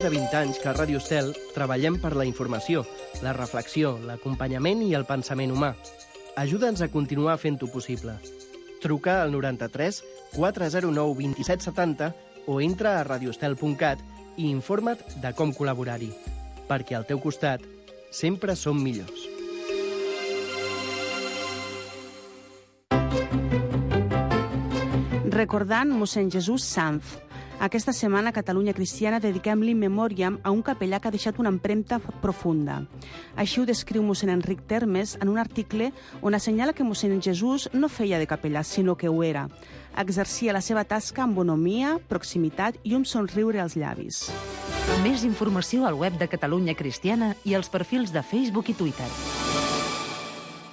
De 20 anys que a Ràdio Estel treballem per la informació, la reflexió, l'acompanyament i el pensament humà. Ajuda'ns a continuar fent-ho possible. Truca al 93 409 2770 o entra a radioestel.cat i informa't de com col·laborar-hi. Perquè al teu costat sempre som millors. Recordant mossèn Jesús Sanz. Aquesta setmana a Catalunya Cristiana dediquem l'In Memoriam a un capellà que ha deixat una empremta profunda. Així ho descriu mossèn Enric Termes en un article on assenyala que mossèn Jesús no feia de capellà, sinó que ho era. Exercia la seva tasca amb bonomia, proximitat i un somriure als llavis. Més informació al web de Catalunya Cristiana i als perfils de Facebook i Twitter.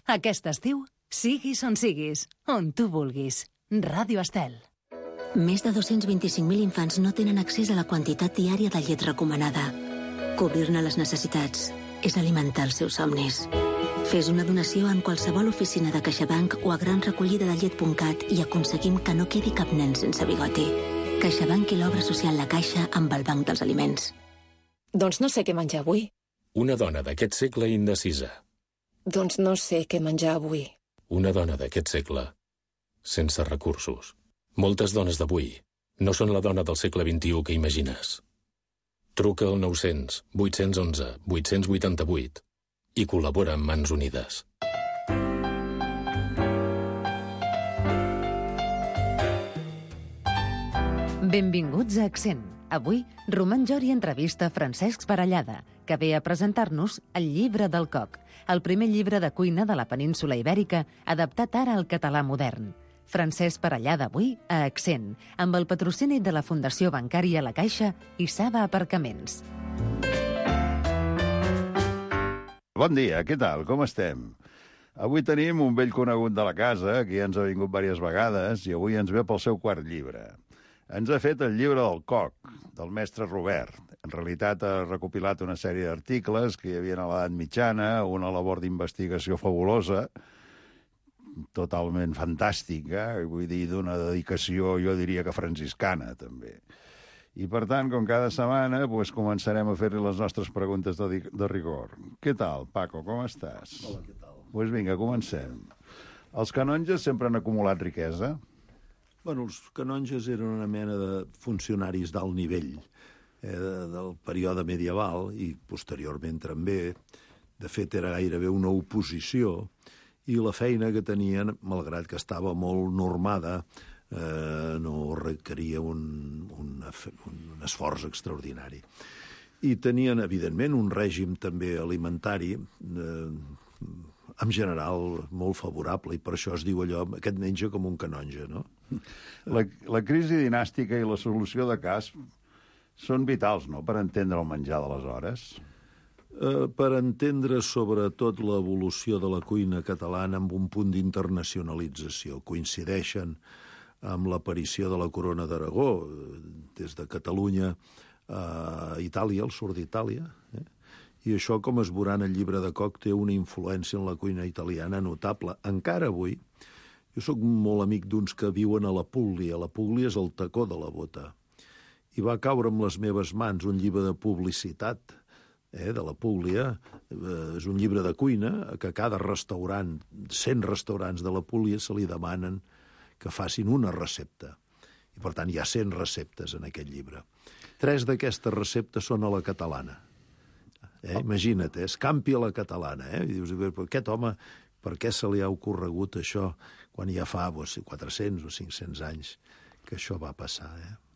Aquest estiu, siguis on siguis, on tu vulguis. Ràdio Estel. Més de 225.000 infants no tenen accés a la quantitat diària de llet recomanada. Cobrir-ne les necessitats és alimentar els seus somnis. Fes una donació en qualsevol oficina de CaixaBank o a granrecollidadallet.cat i aconseguim que no quedi cap nen sense bigoti. CaixaBank i l'obra social La Caixa amb el Banc dels Aliments. Doncs no sé què menjar avui. Una dona d'aquest segle indecisa. Doncs no sé què menjar avui. Una dona d'aquest segle sense recursos. Moltes dones d'avui no són la dona del segle XXI que imagines. Truca al 900 811 888 i col·labora amb Mans Unides. Benvinguts a Accent. Avui, Roman Jori entrevista Francesc Parellada, que ve a presentar-nos El llibre del coc, el primer llibre de cuina de la península Ibèrica adaptat ara al català modern. Francesc Parellada avui a Accent, amb el patrocini de la Fundació Bancària La Caixa i Saba Aparcaments. Bon dia, què tal? Com estem? Avui tenim un vell conegut de la casa, que ja ens ha vingut diverses vegades, i avui ens ve pel seu quart llibre. Ens ha fet el llibre del coc, del mestre Robert. En realitat ha recopilat una sèrie d'articles que hi havia a l'edat mitjana, una labor d'investigació fabulosa, totalment fantàstica, vull dir, d'una dedicació, jo diria que franciscana, també. I, per tant, com cada setmana, doncs, començarem a fer-li les nostres preguntes de rigor. Què tal, Paco, com estàs? Hola, què tal? Doncs vinga, comencem. Els canonges sempre han acumulat riquesa? Bueno, els canonges eren una mena de funcionaris d'alt nivell del període medieval i posteriorment també. De fet, era gairebé una oposició i la feina que tenien, malgrat que estava molt normada, no requeria un esforç extraordinari. I tenien, evidentment, un règim també alimentari en general molt favorable, i per això es diu allò, aquest menja com un canonge, no? La crisi dinàstica i la solució de cas són vitals, no?, per entendre el menjar d'aleshores. Per entendre sobretot l'evolució de la cuina catalana amb un punt d'internacionalització. Coincideixen amb l'aparició de la corona d'Aragó, des de Catalunya a Itàlia, al sud d'Itàlia, i això, com es veurà en el llibre de coc, té una influència en la cuina italiana notable. Encara avui, jo sóc molt amic d'uns que viuen a la Púglia. La Púglia és el tacó de la bota. I va caure en les meves mans un llibre de publicitat de la Púglia. És un llibre de cuina que cada restaurant, 100 restaurants de la Púglia, se li demanen que facin una recepta. I, per tant, hi ha 100 receptes en aquest llibre. 3 d'aquestes receptes són a la catalana. Imagina't, escampi a la catalana. I dius, aquest home, per què se li ha ocorregut això quan ja fa 400 o 500 anys que això va passar?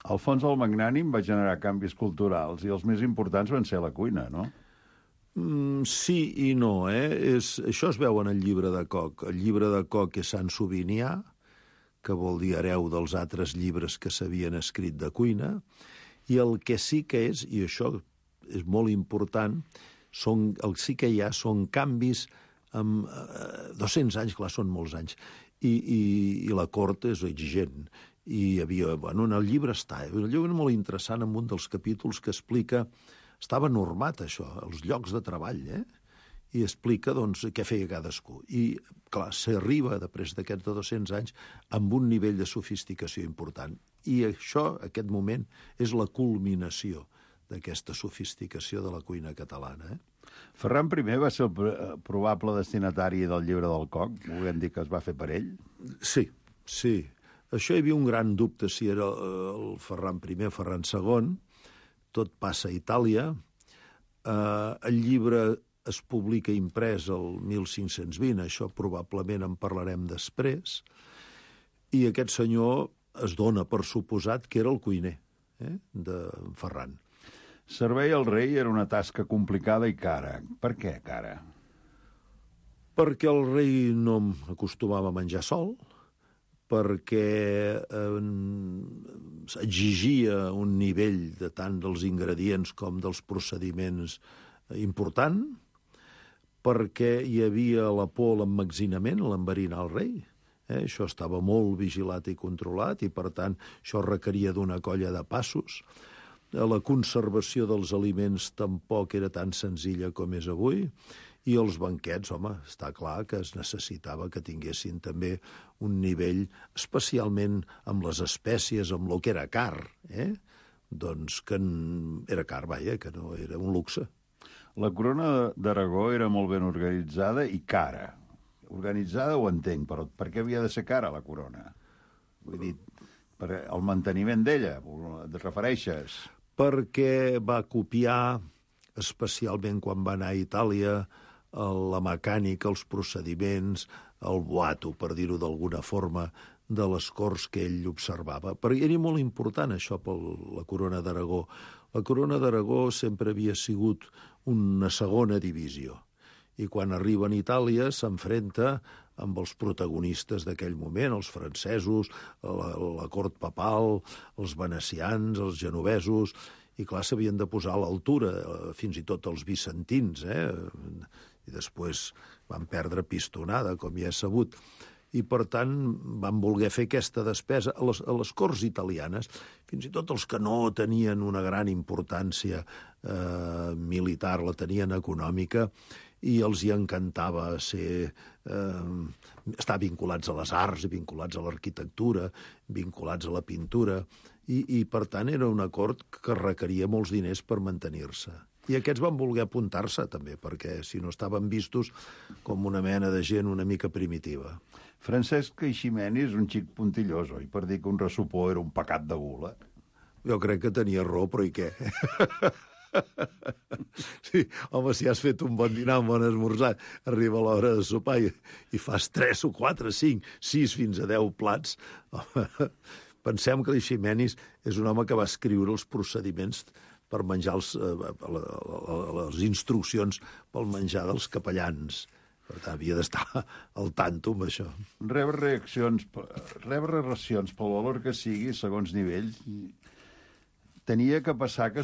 Alfons el Magnànim va generar canvis culturals i els més importants van ser la cuina, no? Sí i no, Això es veu en el llibre de coc. El llibre de coc és Sant Sobinià, que vol dir hereu dels altres llibres que s'havien escrit de cuina, i el que sí que és, i això és molt important, el sí que hi ha són canvis amb 200 anys, clar, són molts anys, i la cort és exigent. I hi havia, en el llibre està, un llibre molt interessant en un dels capítols que explica, estava normat això, els llocs de treball, i explica, doncs, què feia cadascú. I, clar, s'arriba, després d'aquests 200 anys, amb un nivell de sofisticació important. I això, aquest moment, és la culminació d'aquesta sofisticació de la cuina catalana. Ferran I va ser el probable destinatari del llibre del Coc? Volem dir que es va fer per ell? Sí. Això hi havia un gran dubte si era el Ferran I o Ferran II. Tot passa a Itàlia. El llibre es publica imprès el 1520, això probablement en parlarem després, i aquest senyor es dona per suposat que era el cuiner de Ferran. Servei al rei era una tasca complicada i cara. Per què cara? Perquè el rei no acostumava a menjar sol, perquè exigia un nivell de tant dels ingredients com dels procediments important, perquè hi havia la por a l'emmagatzinament, l'enverinar el rei. Això estava molt vigilat i controlat i, per tant, això requeria d'una colla de passos. La conservació dels aliments tampoc era tan senzilla com és avui, i els banquets, home, està clar que es necessitava que tinguessin també un nivell, especialment amb les espècies, amb el que era car, doncs que era car, vaja, que no era un luxe. La corona d'Aragó era molt ben organitzada i cara. Organitzada ho entenc, però per què havia de ser cara la corona? Vull dir, per el manteniment d'ella, et refereixes? Perquè va copiar, especialment quan va anar a Itàlia, la mecànica, els procediments, el boato, per dir-ho d'alguna forma, de les corts que ell observava. Perquè era molt important això per la corona d'Aragó. La corona d'Aragó sempre havia sigut una segona divisió. I quan arriba a Itàlia s'enfrenta amb els protagonistes d'aquell moment, els francesos, la cort papal, els venecians, els genovesos, i clar, s'havien de posar a l'altura, fins i tot els bizantins, i després van perdre pistonada, com ja és sabut. I, per tant, van voler fer aquesta despesa a les corts italianes, fins i tot els que no tenien una gran importància militar, la tenien econòmica, i els hi encantava estar vinculats a les arts, vinculats a l'arquitectura, vinculats a la pintura, i per tant era una cort que requeria molts diners per mantenir-se. I aquests van voler apuntar-se també, perquè si no estaven vistos com una mena de gent una mica primitiva. Francesc Eiximenis és un xic puntillós, oi? Per dir que un ressupó era un pecat de gula. Jo crec que tenia raó, però i què? Sí, home, si has fet un bon dinar, un bon esmorzar, arriba l'hora de sopar i fas 3 o 4, 5, 6, fins a 10 plats. Pensem que l'Eiximenis és un home que va escriure els procediments per menjar les instruccions pel menjar dels capellans. Per tant, havia d'estar al tanto amb això. Rebre racions pel valor que sigui, segons nivells, tenia que passar que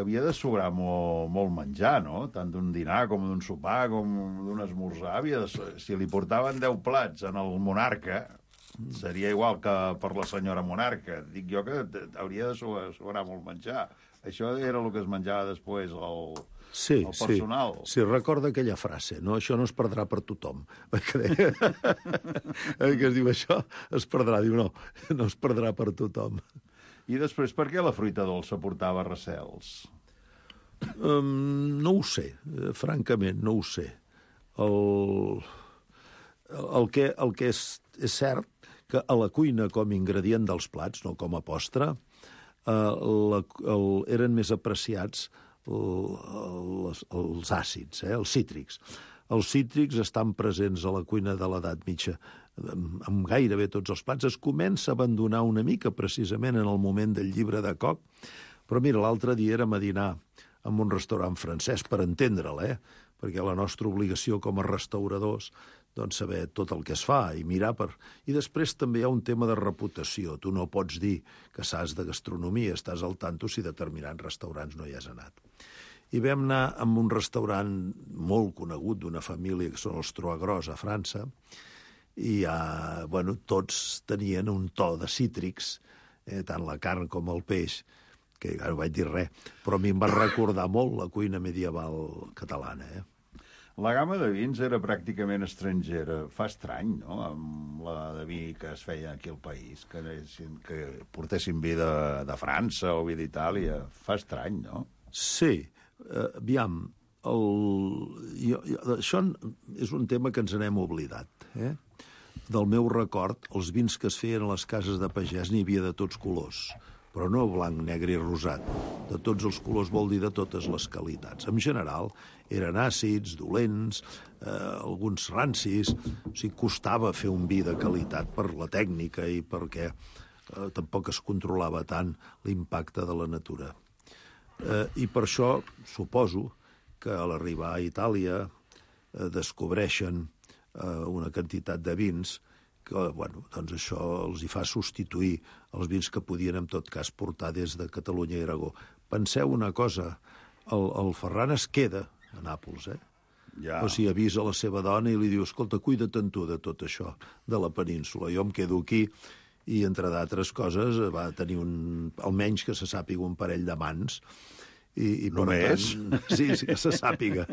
havia de sobrar molt menjar, no? Tant d'un dinar com d'un sopar com d'un esmorzar. Si li portaven 10 plats en el monarca, seria igual que per la senyora monarca. Dic jo que hauria de sobrar molt menjar. Això era el que es menjava després, el personal. Sí, recorda aquella frase, no? Això no es perdrà per tothom. Que es diu això, es perdrà. Diu, no es perdrà per tothom. I després, per què la fruita dolça portava recels? No ho sé, francament, no ho sé. El que és cert que a la cuina com a ingredient dels plats, no com a postre, eren més apreciats els àcids, els cítrics. Els cítrics estan presents a la cuina de l'edat mitja amb gairebé tots els plats. Es comença a abandonar una mica precisament en el moment del llibre de Coc, però mira, l'altre dia érem a dinar en un restaurant francès, per entendre'l, perquè la nostra obligació com a restauradors doncs saber tot el que es fa i mirar per... I després també hi ha un tema de reputació. Tu no pots dir que saps de gastronomia, estàs al tanto si determinats restaurants no hi has anat. I vam anar a un restaurant molt conegut d'una família que són els Troagros a França, i tots tenien un to de cítrics, tant la carn com el peix, que no vaig dir res, però a mi em va recordar molt la cuina medieval catalana. La gamma de vins era pràcticament estrangera. Fa estrany, no?, amb la de vi que es feia aquí al país, que portessin vi de França o vi d'Itàlia. Fa estrany, no? Sí, aviam, això és un tema que ens n'hem oblidat. Del meu record, els vins que es feien a les cases de pagès n'hi havia de tots colors, però no blanc, negre i rosat. De tots els colors vol dir de totes les qualitats. En general, eren àcids, dolents, alguns rancis. O sigui, costava fer un vi de qualitat per la tècnica i perquè tampoc es controlava tant l'impacte de la natura. I per això suposo que a l'arribar a Itàlia descobreixen una quantitat de vins que, bueno, doncs això els hi fa substituir els vins que podien, en tot cas, portar des de Catalunya i Aragó. Penseu una cosa, el Ferran es queda a Nàpols, Ja. O sigui, avisa la seva dona i li diu, escolta, cuida't tu de tot això, de la península. Jo em quedo aquí i, entre d'altres coses, va tenir almenys que se sàpiga un parell d'amants. I només? Sí, que se sàpiga.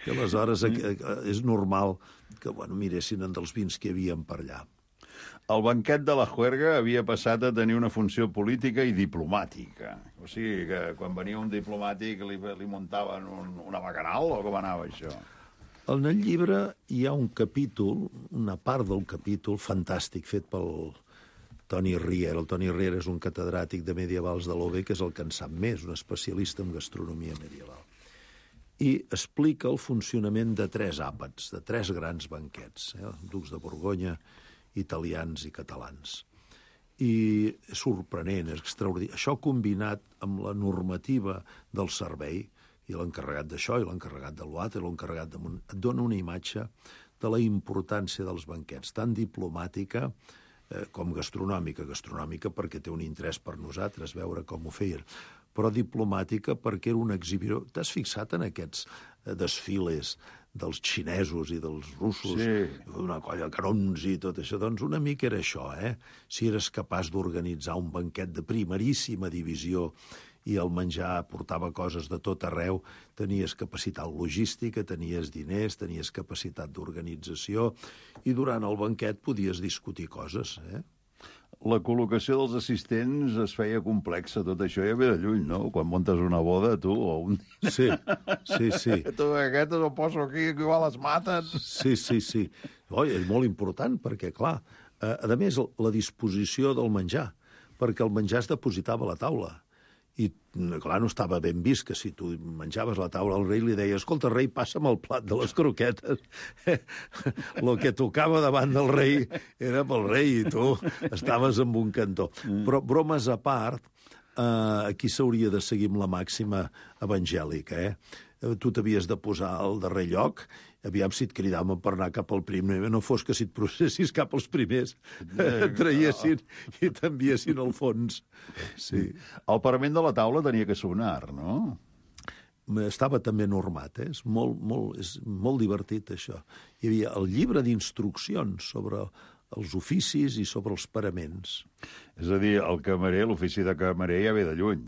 I aleshores és normal que miressin dels vins que hi havia per allà. El banquet de la juerga havia passat a tenir una funció política i diplomàtica. O sigui, que quan venia un diplomàtic li muntaven una bacanal, o com anava això? En el llibre hi ha un capítol, una part del capítol fantàstic fet pel Toni Riera. El Toni Riera és un catedràtic de medievals de l'OB, que és el que en sap més, un especialista en gastronomia medieval. I explica el funcionament de 3 àpats, de 3 grans banquets, ducs de Borgonya, italians i catalans. I és sorprenent, és extraordinari. Això combinat amb la normativa del servei, i l'encarregat d'això, i l'encarregat de l'altre, i l'encarregat de... et dona una imatge de la importància dels banquets, tan diplomàtica com gastronòmica. Gastronòmica perquè té un interès per nosaltres, veure com ho feien, però diplomàtica perquè era una exhibició. T'has fixat en aquests desfiles dels xinesos i dels russos, una colla de canons i tot això? Doncs una mica era això, Si eres capaç d'organitzar un banquet de primeríssima divisió i el menjar portava coses de tot arreu, tenies capacitat logística, tenies diners, tenies capacitat d'organització, i durant el banquet podies discutir coses, La col·locació dels assistents es feia complexa, tot això ja ve de lluny, no? Quan muntes una boda, tu, o un... Sí. Tu, aquest el poso aquí, que igual es maten. Sí. Oi, és molt important, perquè, clar, a més, la disposició del menjar, perquè el menjar es depositava a la taula. I, clar, no estava ben vist que si tu menjaves a la taula al rei li deia, escolta, rei, passa'm el plat de les croquetes. Lo que tocava davant del rei era pel rei i tu estaves en un cantó. Però, bromes a part, aquí s'hauria de seguir amb la màxima evangèlica, Tu t'havies de posar al darrer lloc, aviam si et cridaven per anar cap al primer, no fos que si et processis cap als primers et traiessin i t'enviessin al fons. Sí. El parament de la taula tenia que sonar, no? Estava també normat, és molt divertit, això. Hi havia el llibre d'instruccions sobre els oficis i sobre els paraments. És a dir, el camarer, l'ofici de camarer ja ve de lluny.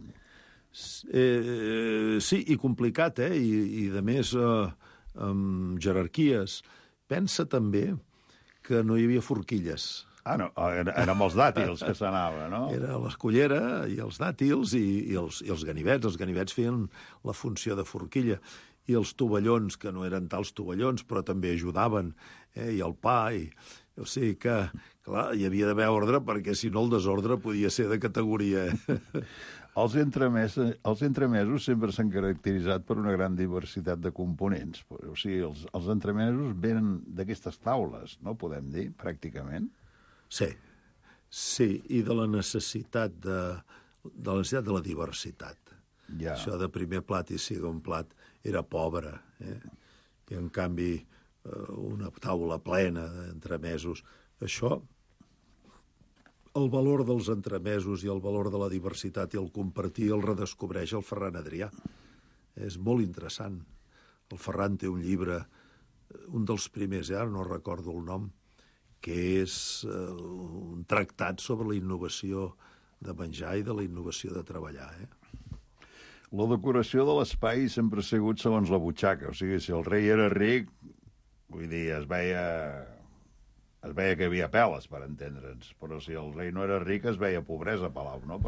Sí, i complicat, I de més, amb jerarquies. Pensa també que no hi havia forquilles. No, eren amb els dàtils que s'anava, no? Era l'escullera i els dàtils i els ganivets. Els ganivets feien la funció de forquilla. I els tovallons, que no eren tals tovallons, però també ajudaven, i el pa, o sigui que, clar, hi havia d'haver ordre, perquè si no el desordre podia ser de categoria. Els entremesos sempre s'han caracteritzat per una gran diversitat de components. O sigui, els entremesos venen d'aquestes taules, no podem dir, pràcticament? Sí, i de la necessitat de la diversitat. Ja. Això de primer plat i segon plat era pobre, I en canvi una taula plena d'entremesos. Això, el valor dels entremesos i el valor de la diversitat i el compartir el redescobreix el Ferran Adrià. És molt interessant. El Ferran té un llibre, un dels primers, ara no recordo el nom, que és un tractat sobre la innovació de menjar i de la innovació de treballar. La decoració de l'espai sempre ha sigut segons la butxaca. O sigui, si el rei era ric, vull dir, es veia que hi havia peles, per entendre'ns. Però si el rei no era ric, es veia pobresa a Palau, no?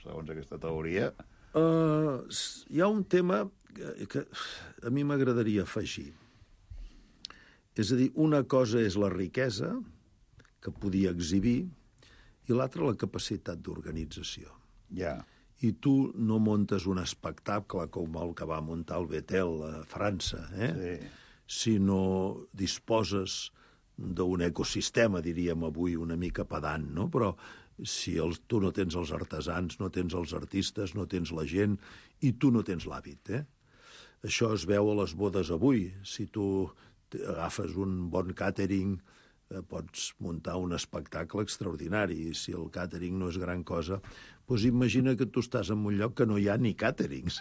Segons aquesta teoria. Hi ha un tema que a mi m'agradaria afegir. És a dir, una cosa és la riquesa, que podia exhibir, i l'altra la capacitat d'organització. Ja. I tu no montes un espectacle com el que va muntar el Betel a França, sinó disposes d'un ecosistema, diríem avui, una mica pedant, no? Però si tu no tens els artesans, no tens els artistes, no tens la gent, i tu no tens l'hàbit, Això es veu a les bodes avui. Si tu agafes un bon càtering, pots muntar un espectacle extraordinari. Si el càtering no és gran cosa, doncs imagina que tu estàs en un lloc que no hi ha ni càterings.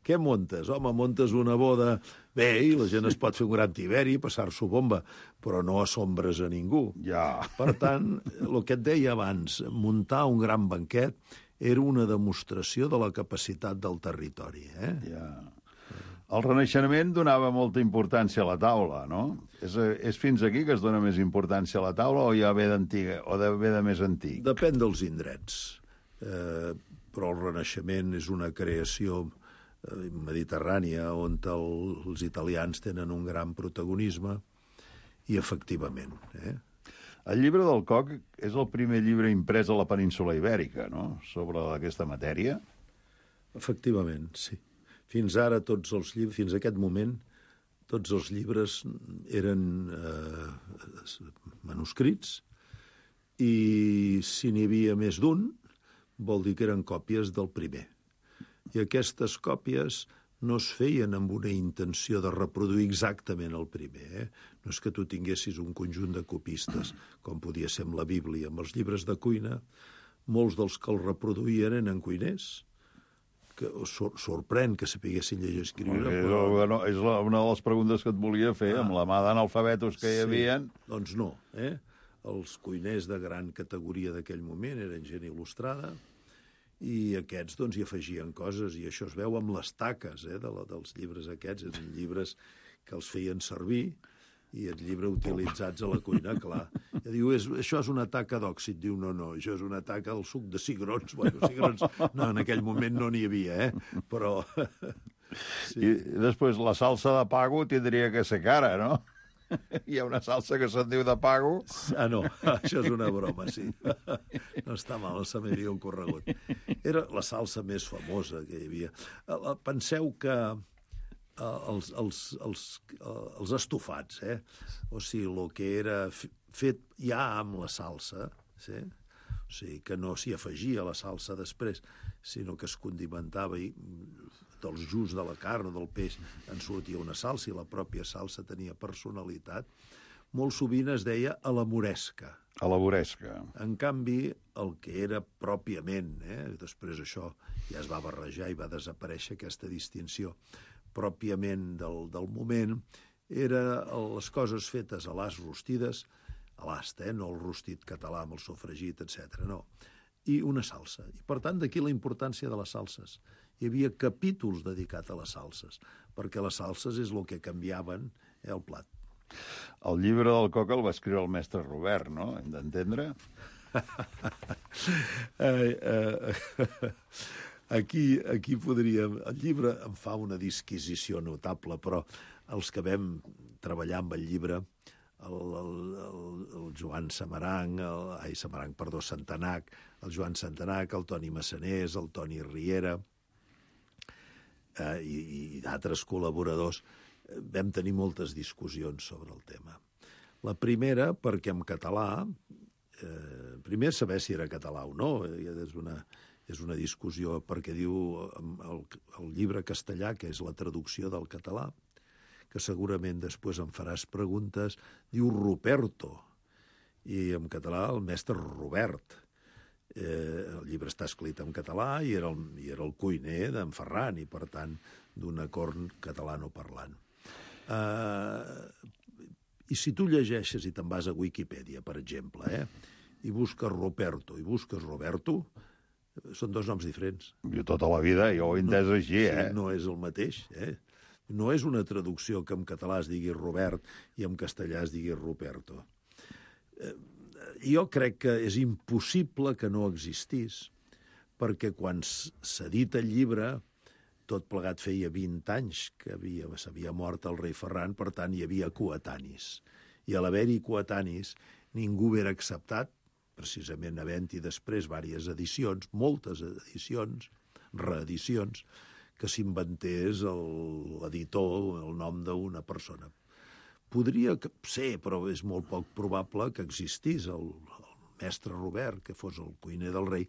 Què montes? Home, montes una boda bé i la gent es pot fer un gran tiberi, passar-s'ho bomba, però no assombres a ningú. Ja. Per tant, el que et deia abans, muntar un gran banquet era una demostració de la capacitat del territori. Ja. El Renaixement donava molta importància a la taula, no? És fins aquí que es dona més importància a la taula o ja ve d'antiga, o ve de més antic? Depèn dels indrets. Però el Renaixement és una creació mediterrània on els italians tenen un gran protagonisme i efectivament. El llibre del Coc és el primer llibre imprès a la península Ibèrica, no?, sobre aquesta matèria. Efectivament, sí. Fins ara tots els llibres, fins a aquest moment, tots els llibres eren manuscrits i si n'hi havia més d'un, vol dir que eren còpies del primer. I aquestes còpies no es feien amb una intenció de reproduir exactament el primer. No és que tu tinguessis un conjunt de copistes, com podia ser amb la Bíblia. Amb els llibres de cuina, molts dels que el reproduïen eren cuiners, que sorprèn que sapiguessin llegir i escriure. Però... És una de les preguntes que et volia fer, amb la mà d'analfabetos que hi havia. Doncs no. Els cuiners de gran categoria d'aquell moment eren gent il·lustrada i aquests doncs hi afegien coses i això es veu amb les taques dels llibres aquests. Eren llibres que els feien servir i el llibre utilitzats a la cuina, clar. I diu, això és una taca d'òxid. Diu, no, això és una taca del suc de cigrons. Bueno, cigrons, no, en aquell moment no n'hi havia, però... Sí. I després la salsa de pago tindria que ser cara, no? Hi ha una salsa que se'n diu de pago. No, això és una broma, sí. No està mal, se m'havia ocorregut. Era la salsa més famosa que hi havia. Penseu que els estofats, o sigui, el que era fet ja amb la salsa, o sigui, que no s'hi afegia la salsa després, sinó que es condimentava i dels just de la carn o del peix en sortia una salsa i la pròpia salsa tenia personalitat, molt sovint es deia a la moresca. A la moresca. En canvi, el que era pròpiament, després això ja es va barrejar i va desaparèixer aquesta distinció, pròpiament del moment, era les coses fetes a l'ast rostides, a l'ast, no el rostit català amb el sofregit, etc. no. I una salsa. I, per tant, d'aquí la importància de les salses. Hi havia capítols dedicats a les salses, perquè les salses és el que canviaven el plat. El llibre del Coc el va escriure el mestre Robert, no? Hem d'entendre? Aquí podríem... El llibre em fa una disquisició notable, però els que vam treballar amb el llibre, el Joan Santanac, el Joan Santanac, el Toni Massanés, el Toni Riera i d'altres col·laboradors, vam tenir moltes discussions sobre el tema. La primera, perquè en català, primer saber si era català o no, és una discussió, perquè diu el llibre castellà, que és la traducció del català, que segurament després em faràs preguntes, diu Ruperto, i en català el mestre Robert. El llibre està escrit en català i era el cuiner d'en Ferran, i per tant d'una corn catalanoparlant. I si tu llegeixes i te'n vas a Wikipedia, per exemple, i busques Ruperto i busques Roberto, són dos noms diferents. Jo tota la vida, jo ho he entès així, No és el mateix, No és una traducció que en català es digui Robert i en castellà es digui Ruperto. Jo crec que és impossible que no existís, perquè quan s'edita el llibre, tot plegat feia 20 anys que s'havia mort el rei Ferran, per tant hi havia coetanis. I a l'haver-hi coetanis, ningú era acceptat, precisament havent-hi després diverses edicions, moltes edicions, reedicions, que s'inventés l'editor el nom d'una persona. Podria ser, però és molt poc probable que existís el mestre Robert, que fos el cuiner del rei,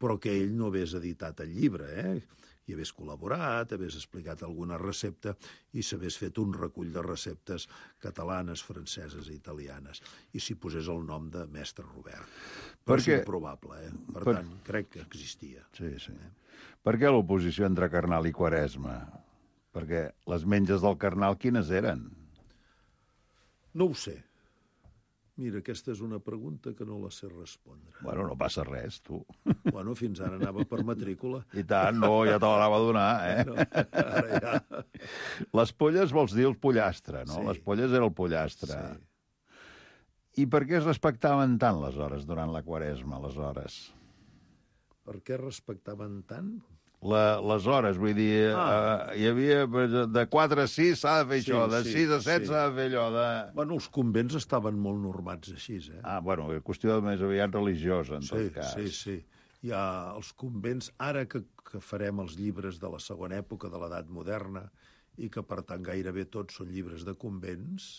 però que ell no hagués editat el llibre, i hagués col·laborat, hagués explicat alguna recepta i s'hagués fet un recull de receptes catalanes, franceses i italianes, i s'hi posés el nom de mestre Robert. Però és improbable, Per tant, crec que existia. Sí. Per què l'oposició entre Carnal i Quaresma? Perquè les menges del Carnal quines eren? No ho sé. Mira, aquesta és una pregunta que no la sé respondre. Bueno, no passa res, tu. Bueno, fins ara anava per matrícula. I tant, no, ja te l'anava a donar, No, ara ja... Les polles vols dir el pollastre, no? Sí. Les polles era el pollastre. Sí. I per què es respectaven tant les hores durant la Quaresma, les hores? Per què respectaven tant? Les hores, vull dir, hi havia de 4 a 6 s'ha de fer això, de 6 a 7 s'ha de fer allò, Bueno, els convents estaven molt normats així, bueno, qüestió més aviat religiosa, en tot cas. Sí. Hi ha els convents, ara que farem els llibres de la segona època de l'edat moderna, i que, per tant, gairebé tots són llibres de convents,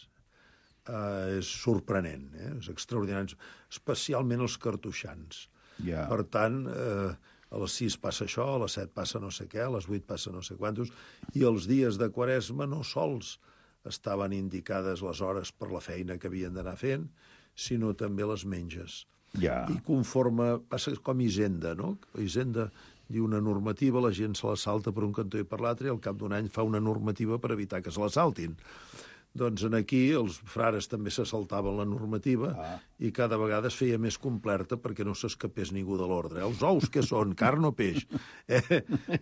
és sorprenent, és extraordinari, especialment els cartoixans. Ja. Per tant, a les 6 passa això, a les 7 passa no sé què, a les 8 passa no sé quantos, i els dies de Quaresma no sols estaven indicades les hores per la feina que havien d'anar fent, sinó també les menges. Ja. I conforme... Passa com Hisenda, no? Hisenda diu una normativa, la gent se la salta per un cantó i per l'altre, i al cap d'un any fa una normativa per evitar que se la saltin. Doncs aquí els frares també se saltaven la normativa i cada vegada es feia més completa perquè no s'escapés ningú de l'ordre. Els ous què són? Carn o peix?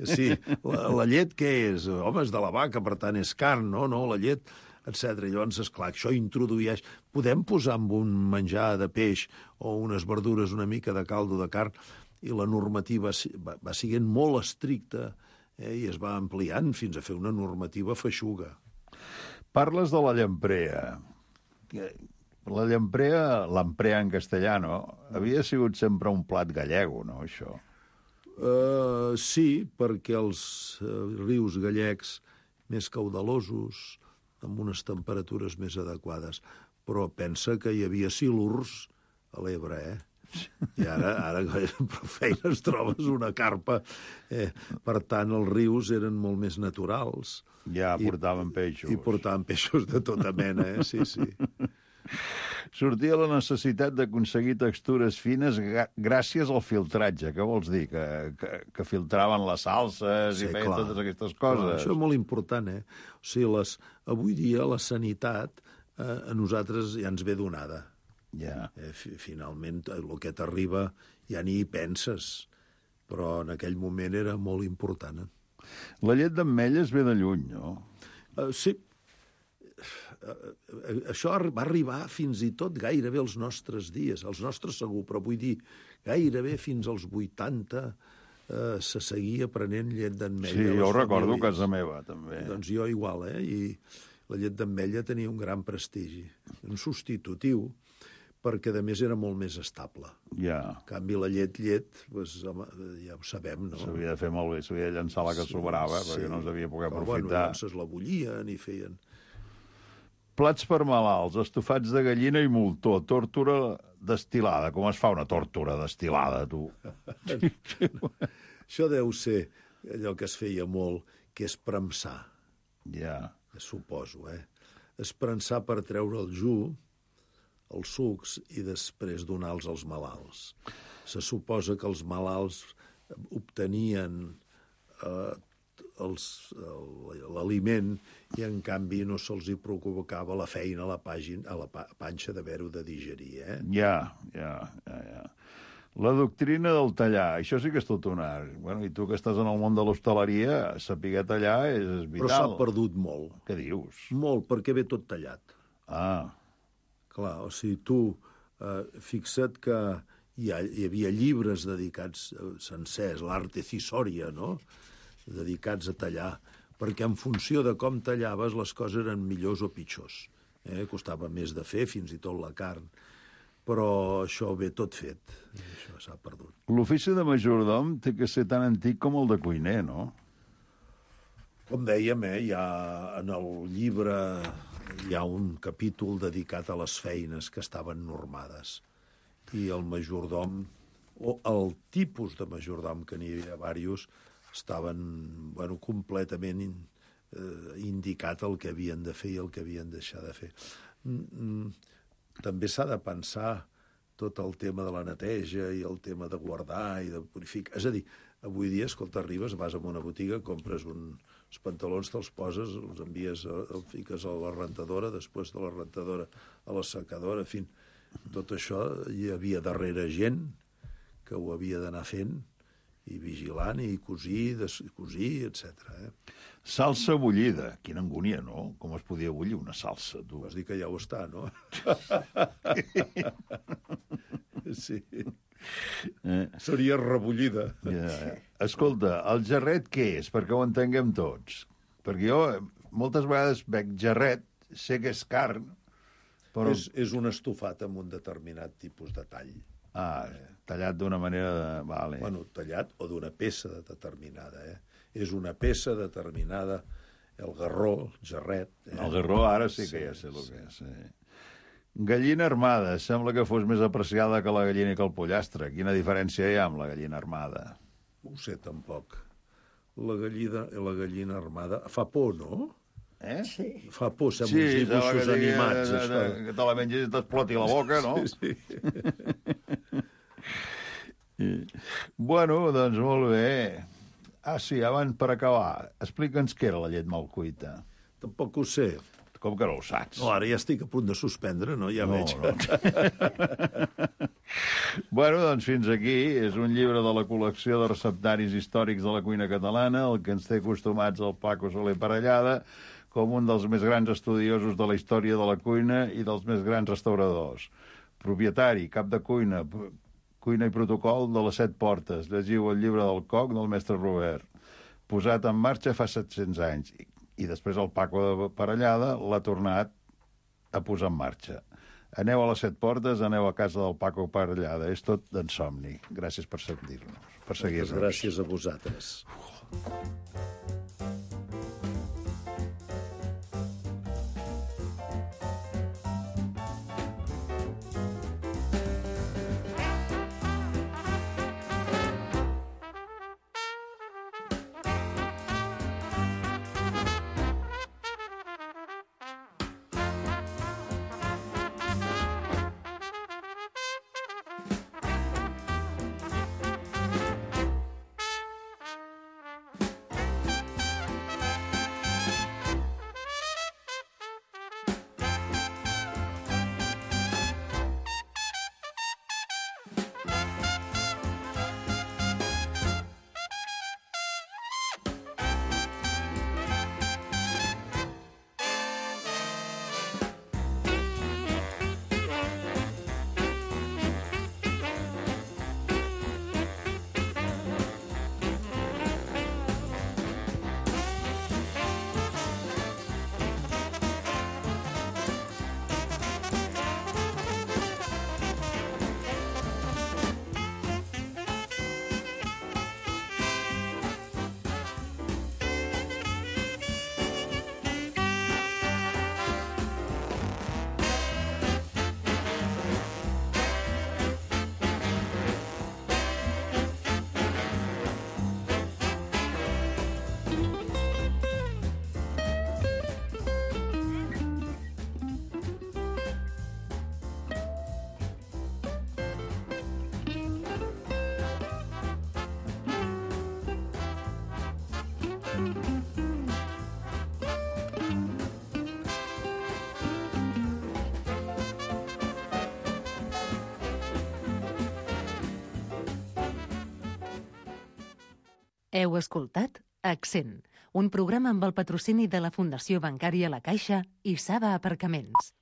Sí, la llet què és? Home, és de la vaca, per tant és carn, no, la llet, etc. Llavors, esclar, això introdueix... Podem posar amb un menjar de peix o unes verdures una mica de caldo de carn, i la normativa va sent molt estricta i es va ampliant fins a fer una normativa feixuga. Parles de la llamprea. La llamprea, l'amprea en castellano, havia sigut sempre un plat gallego, no, això? Sí, perquè els rius gallecs més caudalosos, amb unes temperatures més adequades, però pensa que hi havia silurs a l'Ebre, I ara per feines trobes una carpa. Per tant, els rius eren molt més naturals. Ja portaven peixos. I portaven peixos de tota mena, sí. Sortia la necessitat d'aconseguir textures fines gràcies al filtratge. Què vols dir? Que filtraven les salses i feien totes aquestes coses? Clar, això és molt important, O sigui, avui dia la sanitat a nosaltres ja ens ve donada. Ja. Finalment, el que t'arriba ja ni hi penses, però en aquell moment era molt important. La llet d'ametlles ve de lluny, no? Sí. Això va arribar fins i tot gairebé als nostres dies, als nostres segur, però vull dir, gairebé fins als 80 se seguia prenent llet d'ametlla. Sí, jo ho recordo a casa meva, també. Doncs jo igual, I la llet d'ametlla tenia un gran prestigi, un substitutiu, perquè, a més, era molt més estable. Ja. En canvi, la llet, doncs, home, ja ho sabem, no? S'havia de fer molt bé, s'havia de llançar la que sobrava, perquè no s'havia pogut aprofitar. Bueno, llavors la bullien i feien... Plats per malalts, estofats de gallina i moltó, tórtora destilada. Com es fa una tórtora destilada, tu? Això deu ser allò que es feia molt, que és premsar. Ja. Suposo, Espremsar per treure el jus, els sucs, i després donar-los als malalts. Se suposa que els malalts obtenien l'aliment i, en canvi, no se'ls hi provocava la feina a la panxa d'haver-ho de digerir, Ja. La doctrina del tallar, això sí que és tot un art. Bueno, i tu que estàs en el món de l'hostaleria, saber tallar és vital. Però s'ha perdut molt. Què dius? Molt, perquè ve tot tallat. Clar, o sigui, tu fixa't que hi havia llibres dedicats sencers, l'arte cisòria, no?, dedicats a tallar, perquè en funció de com tallaves les coses eren millors o pitjors. Costava més de fer, fins i tot la carn, però això ve tot fet, això s'ha perdut. L'ofici de majordom té que ser tan antic com el de cuiner, no? Com dèiem, ja en el llibre hi ha un capítol dedicat a les feines que estaven normades, i el majordom, o el tipus de majordom, que n'hi havia diversos, estaven completament indicat el que havien de fer i el que havien de deixar de fer. També s'ha de pensar tot el tema de la neteja i el tema de guardar i de purificar. És a dir, avui dia, escolta, arribes, vas a una botiga, compres uns pantalons, te'ls poses, els envies, els fiques a la rentadora, després de la rentadora a la secadora, en fi, tot això hi havia darrere gent que ho havia d'anar fent i vigilant, i cosir, etc. Salsa bullida. Quina angúnia, no? Com es podia bullir una salsa, tu? Vas dir que ja ho està, no? Sí. Seria rebullida. Escolta, el jarret què és? Perquè ho entenguem tots. Perquè jo moltes vegades veig jarret, sé que és carn, però... És un estofat amb un determinat tipus de tall. Tallat d'una manera... Vale. Bueno, tallat o d'una peça determinada, És una peça determinada, el garró, el jarret... El garró ara sí que ja sé el que és. Gallina armada. Sembla que fos més apreciada que la gallina i que el pollastre. Quina diferència hi ha amb la gallina armada? No ho sé, tampoc. La gallina armada fa por, no? Sí. Fa por, sembla uns dibuixos animats. Que te la mengis i t'exploti la boca, no? Sí. Bueno, doncs molt bé. Sí, abans per acabar, explica'ns què era la llet mal cuita. Tampoc ho sé. Com que no ho saps? No, ara ja estic a punt de suspendre, no? Ja veig. No. Bueno, doncs fins aquí. És un llibre de la col·lecció de receptaris històrics de la cuina catalana, el que ens té acostumats el Paco Soler Parellada, com un dels més grans estudiosos de la història de la cuina i dels més grans restauradors. Propietari, cap de cuina i protocol de les 7 portes. Llegiu el llibre del Coc del mestre Robert. Posat en marxa fa 700 anys. I després el Paco de Parellada l'ha tornat a posar en marxa. Aneu a les 7 portes, aneu a casa del Paco Parellada. És tot d'en somni. Gràcies per sentir-nos. Per seguir-nos. Gràcies a vosaltres. Heu escoltat Accent, un programa amb el patrocini de la Fundació Bancària La Caixa i Saba Aparcaments.